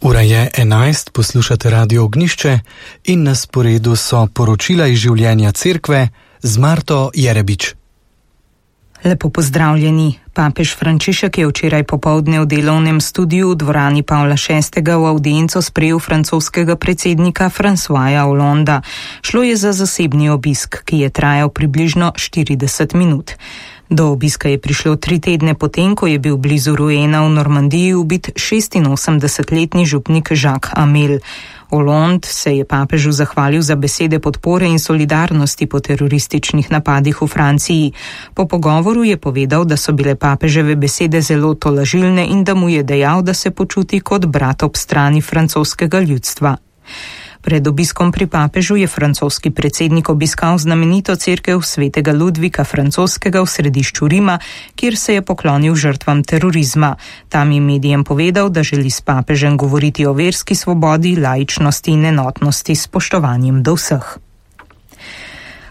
Ura je 11, poslušate Radio Ognišče in na sporedu so poročila iz življenja cerkve z Marto Jerebič. Lepo pozdravljeni. Papež Frančišek je včeraj popoldne v delovnem studiu v dvorani Pavla VI. V audienco sprejel francoskega predsednika Françoisa Hollanda. Šlo je za zasebni obisk, ki je trajal približno 40 minut. Do obiska je prišlo 3 tedne potem, ko je bil blizu Rouena v Normandiji ubit 86-letni župnik Jacques Hamel. Hollande se je papežu zahvalil za besede podpore in solidarnosti po terorističnih napadih v Franciji. Po pogovoru je povedal, da so bile papeževe besede zelo tolažilne in da mu je dejal, da se počuti kot brat ob strani francoskega ljudstva. Pred obiskom pri papežu je francoski predsednik obiskal znamenito cerkev svetega Ludvika Francoskega v središču Rima, kjer se je poklonil žrtvam terorizma. Tam je medijem povedal, da želi s papežem govoriti o verski svobodi, laičnosti in enotnosti s spoštovanjem do vseh.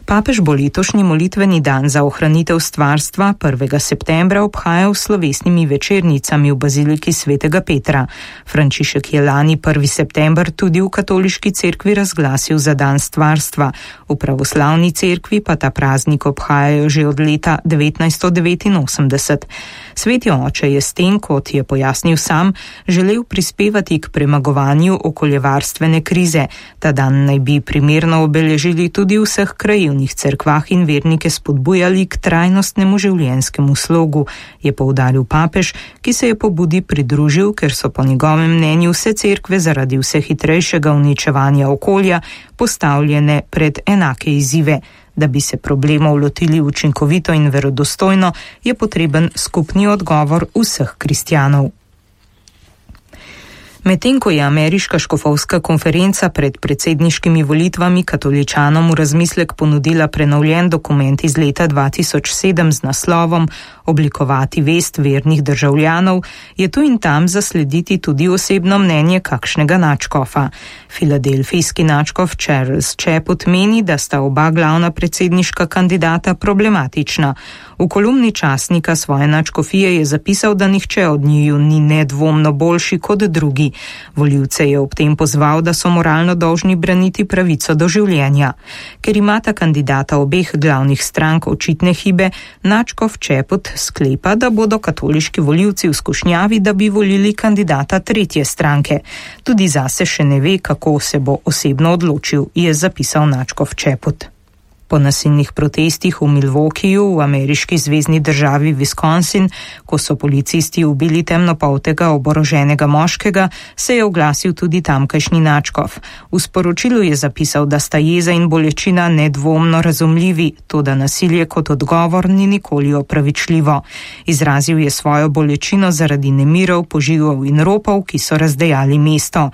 Papež bo letošnji molitveni dan za ohranitev stvarstva 1. septembra obhajal s slovesnimi večernicami v baziliki svetega Petra. Frančišek je lani 1. september tudi v katoliški cerkvi razglasil za dan stvarstva. V pravoslavni cerkvi pa ta praznik obhajajo že od leta 1989. Sveti oče je s tem, kot je pojasnil sam, želel prispevati k premagovanju okoljevarstvene krize. Ta dan naj bi primerno obeležili tudi v vseh krajevnih cerkvah in vernike spodbujali k trajnostnemu življenjskemu slogu, je poudaril papež, ki se je pobudi pridružil, ker so po njegovem mnenju vse cerkve zaradi vse hitrejšega uničevanja okolja postavljene pred enake izzive. Da bi se problemov lotili učinkovito in verodostojno, je potreben skupni odgovor vseh kristjanov. Medtem ko je ameriška škofovska konferenca pred predsedniškimi volitvami katoličanom v razmislek ponudila prenovljen dokument iz leta 2007 z naslovom Oblikovati vest vernih državljanov, je tu in tam zaslediti tudi osebno mnenje kakšnega nadškofa. Filadelfijski nadškof Charles Chaput meni, da sta oba glavna predsedniška kandidata problematična. V kolumni časnika svoje nadškofije je zapisal, da nihče od njiju ni nedvomno boljši kot drugi. Volivce je ob tem pozval, da so moralno dolžni braniti pravico do življenja. Ker imata kandidata obeh glavnih strank očitne hibe, nadškof Chaput sklepa, da bodo katoliški volivci v skušnjavi, da bi volili kandidata tretje stranke. Tudi zase še ne ve, kako se bo osebno odločil, je zapisal nadškof Chaput. Po nasilnih protestih v Milwaukeeju v ameriški zvezni državi Wisconsin, ko so policisti ubili temnopoltega oboroženega moškega, se je oglasil tudi tamkajšnji nadškof. V sporočilu je zapisal, da sta jeza in bolečina nedvomno razumljivi, toda nasilje kot odgovor ni nikoli opravičljivo. Izrazil je svojo bolečino zaradi nemirov, požigov in ropov, ki so razdejali mesto.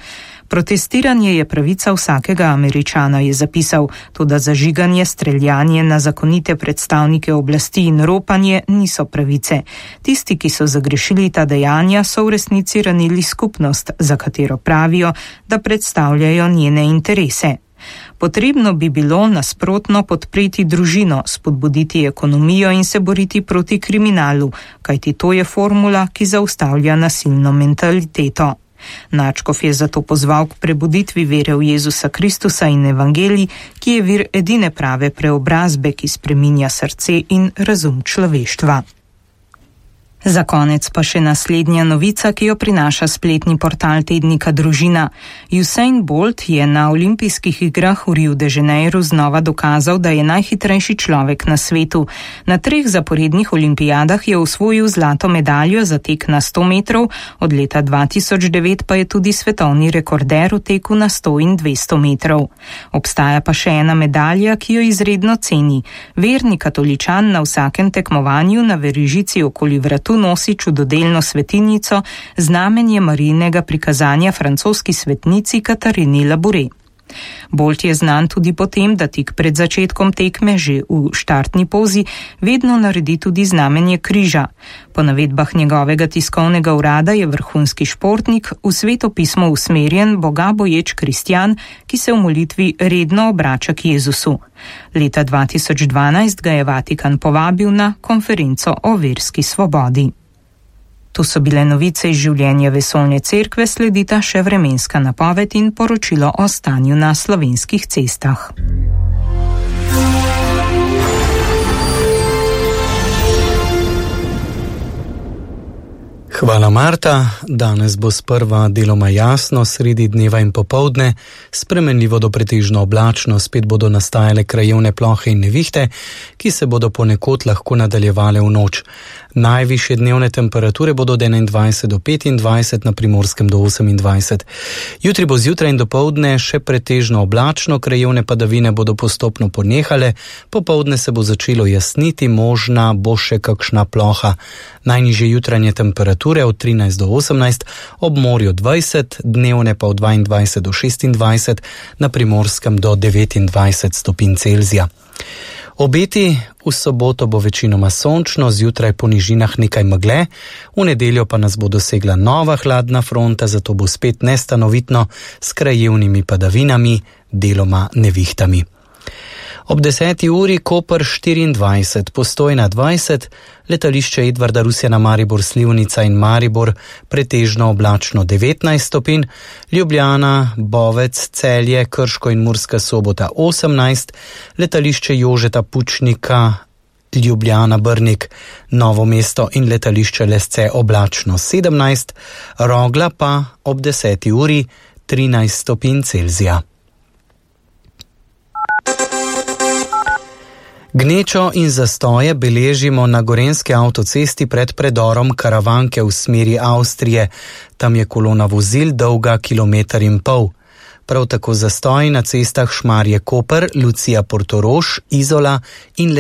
Protestiranje je pravica vsakega Američana, je zapisal, toda zažiganje, streljanje na zakonite predstavnike oblasti in ropanje niso pravice. Tisti, ki so zagrešili ta dejanja, so v resnici ranili skupnost, za katero pravijo, da predstavljajo njene interese. Potrebno bi bilo nasprotno podpreti družino, spodbuditi ekonomijo in se boriti proti kriminalu, kajti to je formula, ki zaustavlja nasilno mentaliteto. Nadškof je zato pozval k prebuditvi vere v Jezusa Kristusa in evangelij, ki je vir edine prave preobrazbe, ki spreminja srce in razum človeštva. Za konec pa še naslednja novica, ki jo prinaša spletni portal tednika Družina. Usain Bolt je na olimpijskih igrah v Rio de Janeiro znova dokazal, da je najhitrejši človek na svetu. Na 3 zaporednih olimpijadah je osvojil zlato medaljo za tek na 100 metrov, od leta 2009 pa je tudi svetovni rekorder v teku na 100 in 200 metrov. Obstaja pa še ena medalja, ki jo izredno ceni. Verni katoličan na vsakem tekmovanju na verižici okoli vratu nosi čudodelno svetilnico, znamenje Marijinega prikazanja francoski svetnici Katarini Labouré. Bolt je znan tudi po tem, da tik pred začetkom tekme že v štartni pozi vedno naredi tudi znamenje križa. Po navedbah njegovega tiskovnega urada je vrhunski športnik v sveto pismo usmerjen, boga boječ kristjan, ki se v molitvi redno obrača k Jezusu. Leta 2012 ga je Vatikan povabil na konferenco o verski svobodi. To so bile novice iz življenja Vesoljne cerkve, sledita še vremenska napoved in poročilo o stanju na slovenskih cestah. Hvala, Marta. Danes bo sprva deloma jasno, sredi dneva in popoldne, spremenljivo do pretežno oblačno, spet bodo nastajale krajevne plohe in nevihte, ki se bodo ponekod lahko nadaljevale v noč. Najvišje dnevne temperature bodo od 21 do 25, na Primorskem do 28. Jutri bo zjutraj in dopoldne še pretežno oblačno, krajevne padavine bodo postopno ponehale, popoldne se bo začelo jasniti, možna bo še kakšna ploha. Najnižje jutranje temperature od 13 do 18, ob morju 20, dnevne pa od 22 do 26, na Primorskem do 29 stopinj Celzija. Obeti: v soboto bo večinoma sončno, zjutraj po nižinah nekaj megle, v nedeljo pa nas bo dosegla nova hladna fronta, zato bo spet nestanovitno s krajevnimi padavinami, deloma nevihtami. Ob 10. uri Koper 24, Postojna 20, letališče Edvarda Rusjana Maribor Slivnica in Maribor pretežno oblačno 19 stopinj, Ljubljana, Bovec, Celje, Krško in Murska Sobota 18, letališče Jožeta Pučnika, Ljubljana, Brnik, Novo mesto in letališče Lesce oblačno 17, Rogla pa ob 10. uri 13 stopinj Celzija. Gnečo in zastoje beležimo na gorenjski avtocesti pred predorom Karavanke v smeri Avstrije. Tam je kolona vozil dolga 1,5 kilometra. Prav tako zastoji na cestah Šmarje-Koper, Lucija-Portorož, Izola in